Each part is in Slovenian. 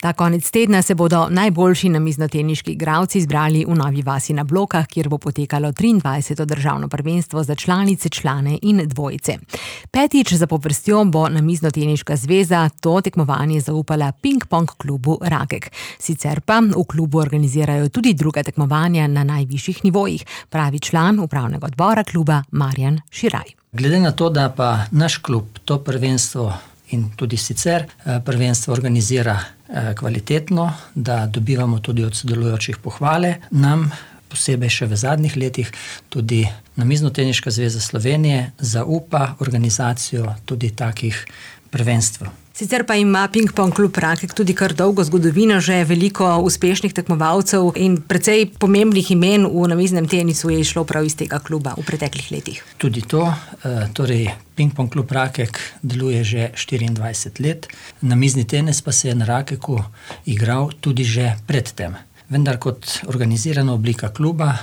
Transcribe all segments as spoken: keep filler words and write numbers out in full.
Ta konec tedna se bodo najboljši namiznoteniški igralci zbrali v Novi vasi na Blokah, kjer bo potekalo triindvajseto državno prvenstvo za članice, člane in dvojice. Petič zapovrstjo bo Namiznoteniška zveza to tekmovanje zaupala Ping-pong klubu Rakek. Sicer pa v klubu organizirajo tudi druga tekmovanja na najvišjih nivojih, pravi član upravnega odbora kluba Marjan Širaj. Glede na to, da pa naš klub to prvenstvo in tudi sicer prvenstvo organizira kvalitetno, da dobivamo tudi od sodelujočih pohvale, nam posebej še v zadnjih letih tudi Namiznoteniška zveza Slovenije zaupa organizacijo tudi takih prvenstv. Sicer pa ima Ping-pong klub Rakek tudi kar dolgo zgodovino, že veliko uspešnih tekmovalcev in precej pomembnih imen v namiznem tenisu je išlo prav iz tega kluba v preteklih letih. Tudi to, torej Ping-pong klub Rakek deluje že štiriindvajset let, namizni tenis pa se je na Rakeku igral tudi že pred tem. Vendar kot organizirana oblika kluba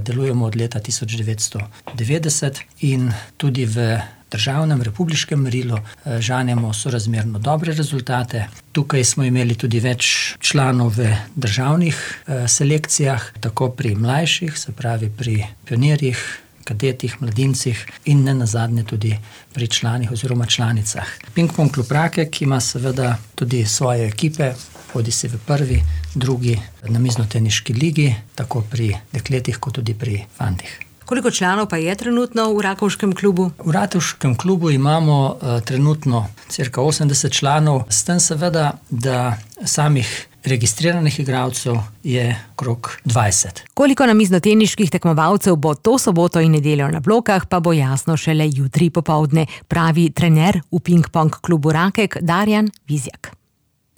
delujemo od leta tisoč devetsto devetdeset in tudi v državnem republiškem merilu žanjemo sorazmerno dobre rezultate. Tukaj smo imeli tudi več članov v državnih selekcijah, tako pri mlajših, se pravi pri pionirjih, kadetih, mladincih in ne nazadnje tudi pri članih oziroma članicah. Ping-pong klub Rakek ima seveda tudi svoje ekipe, hodi se v prvi, drugi namiznoteniški ligi, tako pri dekletih kot tudi pri fantih. Koliko članov pa je trenutno v Rakovškem klubu? V Rakovškem klubu imamo uh, trenutno cirka osemdeset članov, s tem seveda, da samih registriranih igralcev je okrog dvajset. Koliko namiznoteniških tekmovalcev bo to soboto in nedeljo na Blokah, pa bo jasno šele jutri popoldne, pravi trener v Ping-pong klubu Rakek Darjan Vizjak.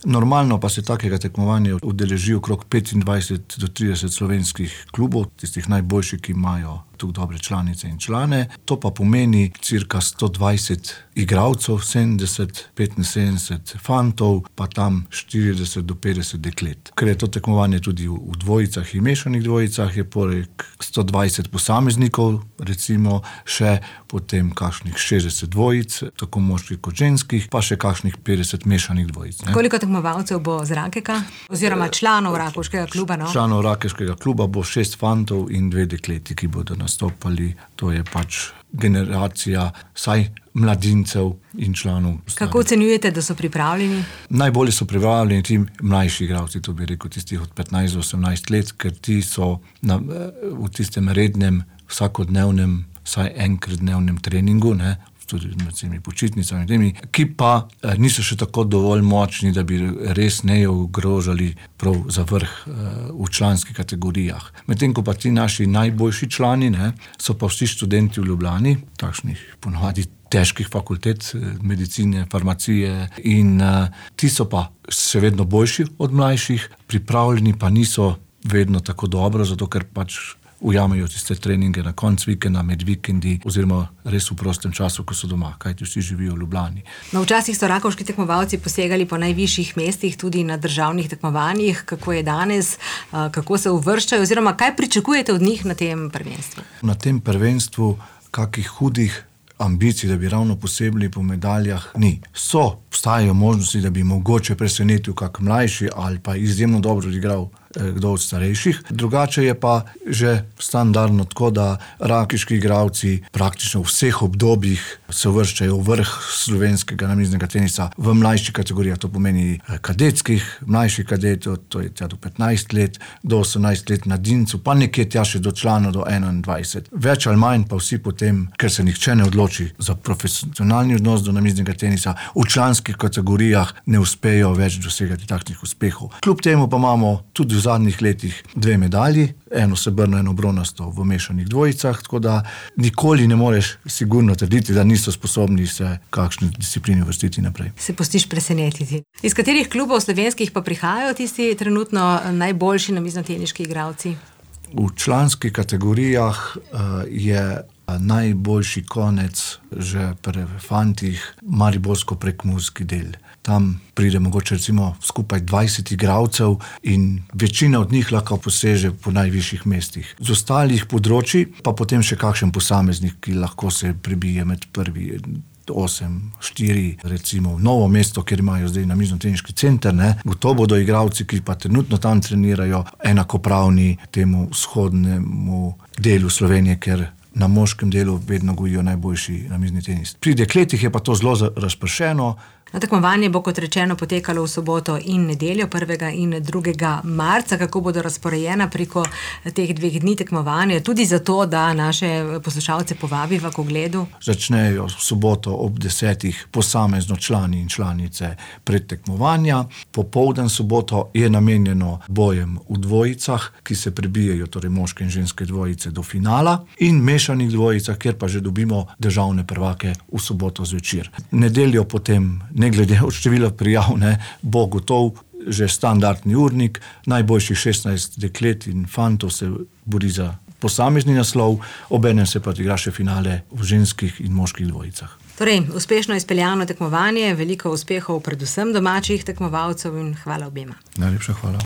Normalno pa se takega tekmovanja udeleži okrog petindvajset do trideset slovenskih klubov, tistih najboljših, ki imajo tu dobre članice in člane. To pa pomeni cirka sto dvajset igralcev, sedemdeset, petinsedemdeset fantov, pa tam štirideset do petdeset deklet. Ker je to tekmovanje tudi v, v dvojicah in mešanih dvojicah, je poleg sto dvajset posameznikov, recimo še potem kakšnih šestdeset dvojic, tako moških kot ženskih, pa še kakšnih petdeset mešanih dvojic. Ne? Koliko tekmovalcev bo z Rakeka, oziroma članov Rakovškega kluba? No? Članov Rakovškega kluba bo šest fantov in dve dekleti, ki bodo nastopali. To je pač generacija saj mladincev in članov. Kako ocenjujete, da so pripravljeni? Najbolje so pripravljeni ti mlajši igralci, to bi rekel tistih od petnajst do osemnajst let, ker ti so na, v tistem rednem, vsakodnevnem, saj enkrat dnevnem treningu, ne, tudi med temi počitnicami, temi, ki pa niso še tako dovolj močni, da bi res ne ogrožali prav za vrh v članskih kategorijah. Medtem ko pa ti naši najboljši člani, ne, so pa vsi študenti v Ljubljani, takšnih ponovadi težkih fakultet, medicine, farmacije in uh, ti so pa še vedno boljši od mlajših, pripravljeni pa niso vedno tako dobro, zato ker pač ujamejo tiste treninge na konc vikenda, med vikendi oziroma res v prostem času, ko so doma, kajti vsi živijo v Ljubljani. No, včasih so rakovški tekmovalci posegali po najvišjih mestih, tudi na državnih tekmovanjih. Kako je danes, kako se uvrščajo oziroma kaj pričakujete od njih na tem prvenstvu? Na tem prvenstvu kakih hudih ambicij, da bi ravno posebili po medaljah, ni. So, obstajajo možnosti, da bi mogoče presenetil kak mlajši ali pa izjemno dobro igral kdo od starejših. Drugače je pa že standardno tako, da rakiški igralci praktično v vseh obdobjih se uvrščajo v vrh slovenskega namiznega tenisa v mlajših kategorijah. To pomeni kadetskih, mlajših kadetov, to je tja do petnajst let, do osemnajst let mladincev, pa nekje tja še do članov do enaindvajset. Več ali manj pa vsi potem, ker se nihče ne odloči za profesionalni odnos do namiznega tenisa, v članskih kategorijah ne uspejo več dosegati takšnih uspehov. Kljub temu pa imamo tudi v zadnjih letih dve medalji, eno srebrno, eno bronasto v mešanih dvojicah, tako da nikoli ne moreš sigurno trditi, da niso sposobni se kakšni disciplini vrstiti naprej. Se pustiš presenetiti. Iz katerih klubov slovenskih pa prihajajo tisti trenutno najboljši namiznoteniški igralci? V članskih kategorijah uh, je najboljši konec že pri fantih mariborsko-prekmurski del. Tam pride mogoče recimo skupaj dvajset igralcev in večina od njih lahko poseže po najvišjih mestih. Z ostalih področij pa potem še kakšen posameznik, ki lahko se prebije med prvi osem, štiri, recimo Novo mesto, kjer imajo zdaj namiznoteniški center, ne, gotovo bodo igralci, ki pa trenutno tam trenirajo, enakopravni temu vzhodnemu delu Slovenije, ker na moškem delu vedno gojijo najboljši namizni tenis. Pri dekletih je pa to zelo razpršeno. Na tekmovanje bo, kot rečeno, potekalo v soboto in nedeljo, prvega in drugega marca. Kako bodo razporejena preko teh dveh dni tekmovanja, tudi zato, da naše poslušalce povabiva k ogledu? Začnejo v soboto ob desetih posamezno člani in članice predtekmovanja. Popoldan soboto je namenjeno bojem v dvojicah, ki se prebijajo, torej moške in ženske dvojice, do finala, in mešanih dvojicah, kjer pa že dobimo državne prvake v soboto zvečer. Nedeljo potem, ne glede od števila prijav, ne, bo gotov že standardni urnik, najboljših šestnajst deklet in fantov se bori za posamezni naslov, obenem se pa igra še finale v ženskih in moških dvojicah. Torej, uspešno izpeljano tekmovanje, veliko uspehov predvsem domačih tekmovalcev in hvala obema. Najlepša hvala.